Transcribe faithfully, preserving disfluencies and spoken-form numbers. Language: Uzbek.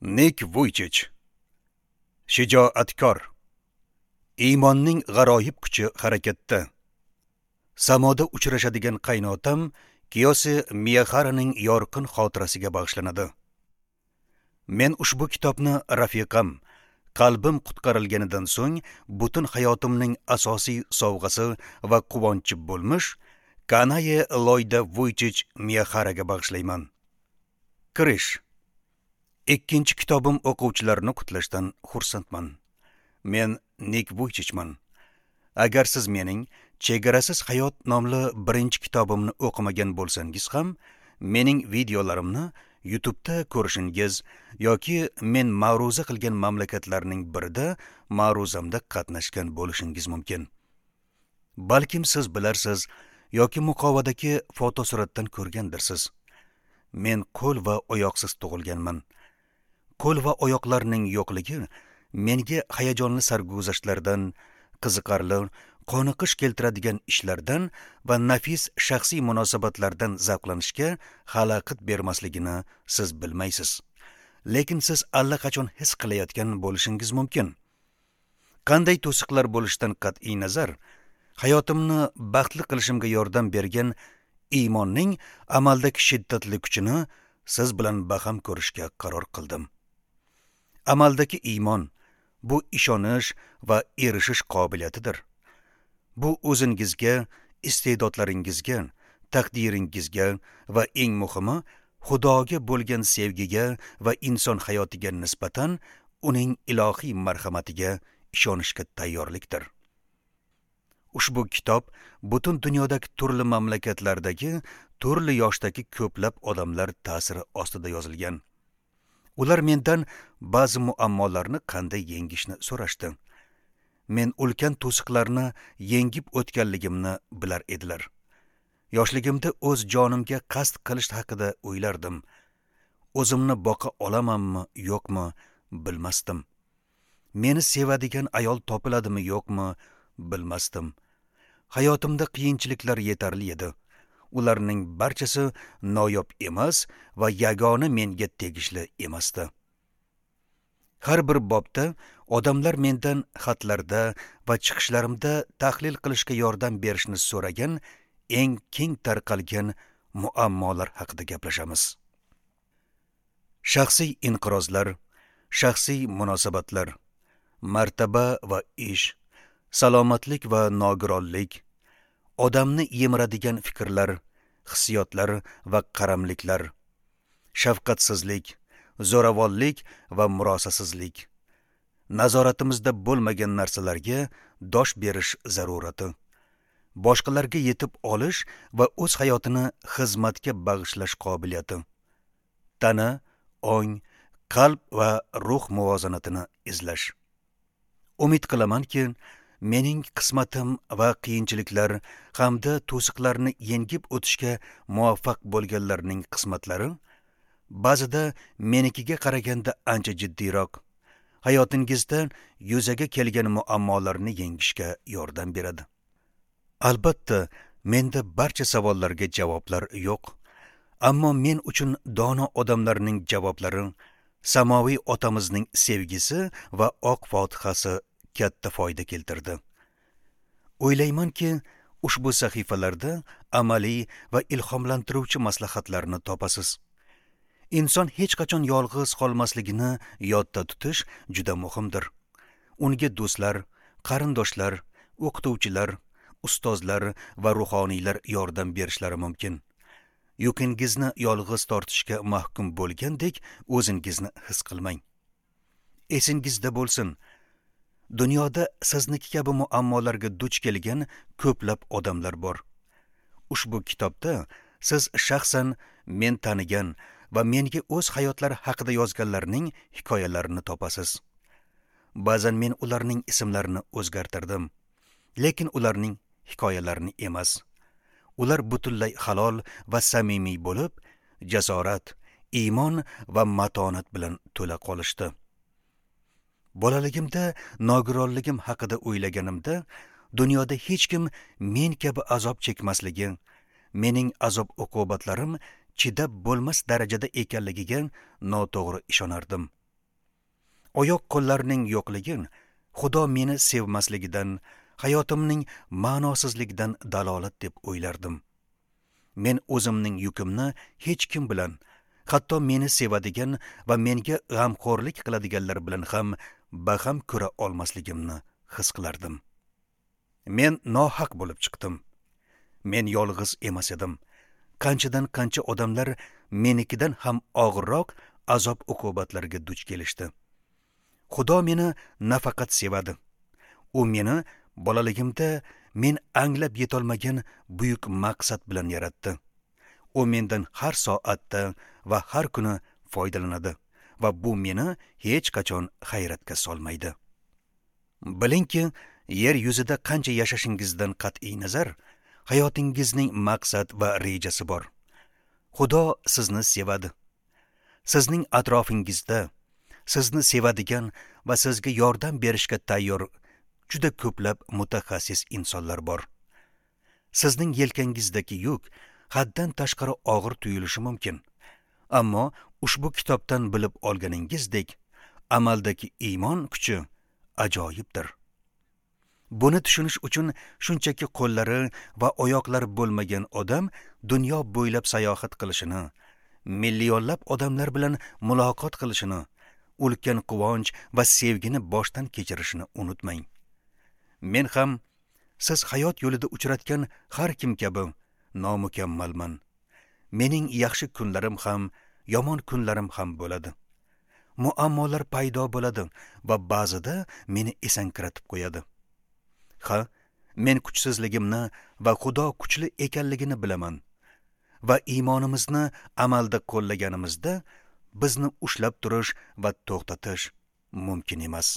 Nik Vuychich. Shijoatkor. Iymonning g'aroyib kuchi harakatda. Samoda uchrashadigan qaynotam Kiyosi Miyaharaning yorqin xotirasiga bag'ishlanadi. Men ushbu kitobni rafiqam, qalbim qutqarilganidan so'ng butun hayotimning asosiy sovg'asi va quvonchi bo'lmish Kanaye Loyda Vuychich Miyaharaga bag'ishlayman. Kirish. Ikkinchi kitobim o'quvchilarni qutlashdan xursandman. Men Nik Vuychichman. Agar siz mening Chegarasiz hayot nomli birinchi kitobimni o'qimagan bo'lsangiz ham, mening videolarimni YouTube'da ko'rishingiz yoki men ma'ruza qilgan mamlakatlarning birida ma'ruzamda qatnashgan bo'lishingiz mumkin. Balkim siz bilarsiz yoki muqovadagi fotosuratdan ko'rgandirsiz. Men qo'l va oyoqsiz tug'ilganman. Qo'l va oyoqlarning yo'qligi menga hayajonli sarguzashtlardan, qiziqarli, qoniqish keltiradigan ishlardan va nafis shaxsiy munosabatlardan zavqlanishga xalaqit bermasligini siz bilmaysiz. Lekin siz allaqachon his qilayotgan bo'lishingiz mumkin. Qanday to'siqlar bo'lishidan qat'iy nazar, hayotimni baxtli qilishimga yordam bergan iymonning amaldagi shiddatli kuchini siz bilan baham ko'rishga qaror qildim. Amaldagi iymon bu ishonish va erishish qobiliyatidir. Bu o'zingizga, iste'dodlaringizga, taqdiringizga va eng muhimi Xudoga bo'lgan sevgiga va inson hayotiga nisbatan uning ilohiy marhamatiga ishonishga tayyorlikdir. Ushbu kitob butun dunyodagi turli mamlakatlardagi turli yoshdagi ko'plab odamlar ta'siri ostida yozilgan. Ular mendan ba'zi muammolarni qanday yengishni so'rashdi. Men ulkan to'siqlarni yengib o'tganligimni bilar edilar. Yoshligimda o'z jonimga qasd qilish haqida o'ylardim. O'zimni boqa olamanmi, yo'qmi bilmasdim. Meni sevadigan ayol topiladimi, yo'qmi bilmasdim. Hayotimda qiyinchiliklar yetarli edi. Ularning barchasi noyob emas va yagona menga tegishli emasdi. Har bir bobda odamlar mendan xatlarda va chiqishlarimda tahlil qilishga yordam berishni so'ragan eng keng tarqalgan muammolar haqida gaplashamiz. Shaxsiy inqirozlar, shaxsiy munosabatlar, martaba va ish, salomatlik va nogironlik, odamni yemiradigan fikrlar, hissiyotlar va qaramliklar, shafqatsizlik, zo'ravonlik va murosasizlik, nazoratimizda bo'lmagan narsalarga dosh berish zarurati, boshqalarga yetib olish va o'z hayotini xizmatga bag'ishlash qobiliyati, tana, ong, qalb va ruh muvozanatini izlash. Umid qilamanki, mening qismatim va qiyinchiliklar hamda to'siqlarni yengib o'tishga muvaffaq bo'lganlarning qismatlari ba'zida menikiga qaraganda ancha jiddiyroq, hayotingizda yuzaga kelgan muammolarni yengishga yordam beradi. Albatta, menda barcha savollarga javoblar yo'q, ammo men uchun dono odamlarning javoblari, samoviy otamizning sevgisi va oq fotihasi katta foyda keltirdi. O'ylaymanki, ushbu sahifalarda amaliy va ilhomlantiruvchi maslahatlarni topasiz. Inson hech qachon yolg'iz qolmasligini yodda tutish juda muhimdir. Unga do'stlar, qarindoshlar, o'qituvchilar, ustozlar va ruhoniylar yordam berishlari mumkin. Yukingizni yolg'iz tortishga mahkum bo'lgandek o'zingizni his qilmang. Esingizda bo'lsin, dunyoda sizniki kabi muammolarga duch kelgan ko'plab odamlar bor. Ushbu kitobda siz shaxsan men tanigan va menga o'z hayotlari haqida yozganlarning hikoyalarini topasiz. Ba'zan men ularning ismlarini o'zgartirdim, lekin ularning hikoyalarini emas. Ular butunlay halol va samimiy bo'lib, jasorat, iymon va matonat bilan to'la qolishdi. Bolaligimda nogironligim haqida o'ylaganimda, dunyoda hech kim men kabi azob chekmasligi, mening azob uqubatlarim chidab bo'lmas darajada ekanligiga noto'g'ri ishonardim. Oyoq qo'llarining yo'qligi Xudo meni sevmasligidan, hayotimning ma'nosizligidan dalolat deb o'ylardim. Men o'zimning yukimni hech kim bilan, hatto meni sevadigan va menga g'amxo'rlik qiladiganlar bilan ham baham ko'ra olmasligimni his qilardim. Men nohaq bo'lib chiqdim. Men yolg'iz emas edim. Qanchadan qancha odamlar menikidan ham og'irroq azob uqubatlarga duch kelishdi. Xudo meni nafaqat sevadi. U meni bolaligimda men anglab yetolmagan buyuk maqsad bilan yaratdi. U mendan har soatda va har kuni foydalanadi va bu meni hech qachon hayratga solmaydi. Bilingki, yer yuzida qancha yashashingizdan qat'iy nazar, hayotingizning maqsad va rejasi bor. Xudo sizni sevadi. Sizning atrofingizda sizni sevadigan va sizga yordam berishga tayyor juda ko'plab mutaxassis insonlar bor. Sizning yelkangizdagi yuk haddan tashqari og'ir tuyulishi mumkin. Ammo ushbu kitobdan bilib olganingizdek, amaldagi iymon kuchi ajoyibdir. Buni tushunish uchun shunchaki qo'llari va oyoqlari bo'lmagan odam dunyo bo'ylab sayohat qilishini, millionlab odamlar bilan muloqot qilishini, ulkan quvonch va sevgini boshdan kechirishini unutmang. Men ham siz hayot yo'lida uchratgan har kim kabi nomukammalman. Mening yaxshi kunlarim ham, yomon kunlarim ham bo'ladi. Muammolar paydo bo'ladi va ba'zida meni esankiratib qo'yadi. Ha, men kuchsizligimni va Xudo kuchli ekanligini bilaman. Va iymonimizni amalda qo'llaganimizda bizni ushlab turish va to'xtatish mumkin emas.